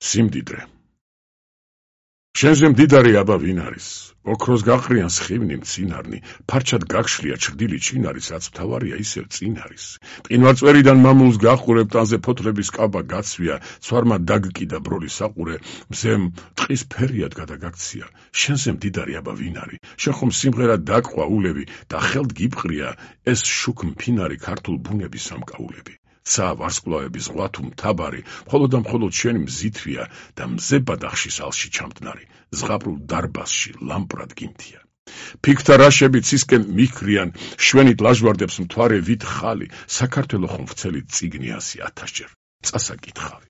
სიმდიდრე. შენზე მდიდარი აბა ვინ არის? ოქროს გაყრიან სხივნი მცინარნი, ფარჩად გაგშლია ჩრდილი ჩინარის, რაც მთავარია ისევ წინ არის. მყინვარწვერიდან მამულს გახურებ, ტანზე ფოთლების კაბა გაცვია, ცვარმა დაგკიდა ბროლის საყურე, მზემ ტყის ფერიად გადაგაქცია. შენზე მდიდარი აბა ვინ არის? შენ ხომ სიმღერა დაგყვა ულევი და ხელთ გიბყრია ეს შუქ მფინარი ქართულ ბუნების სამკაულები. ცა ვარსკვლავების ზღვა თუ მთაბარი, მხოლოდ და მხოლოდ შენი მზითვია და მზე ბადახშის ალში ჩამტნარი, ზღაპრულ დარბაზში ლამპრად გიმთია. ფიქთა რაშები ცისკენ მიქრიან, შვენით ლაჟვარდებს მთვარე ვით ხალი, საქართველო ხომ ვრცელი წიგნი 100,000 ჯერ, წასაკითხავი.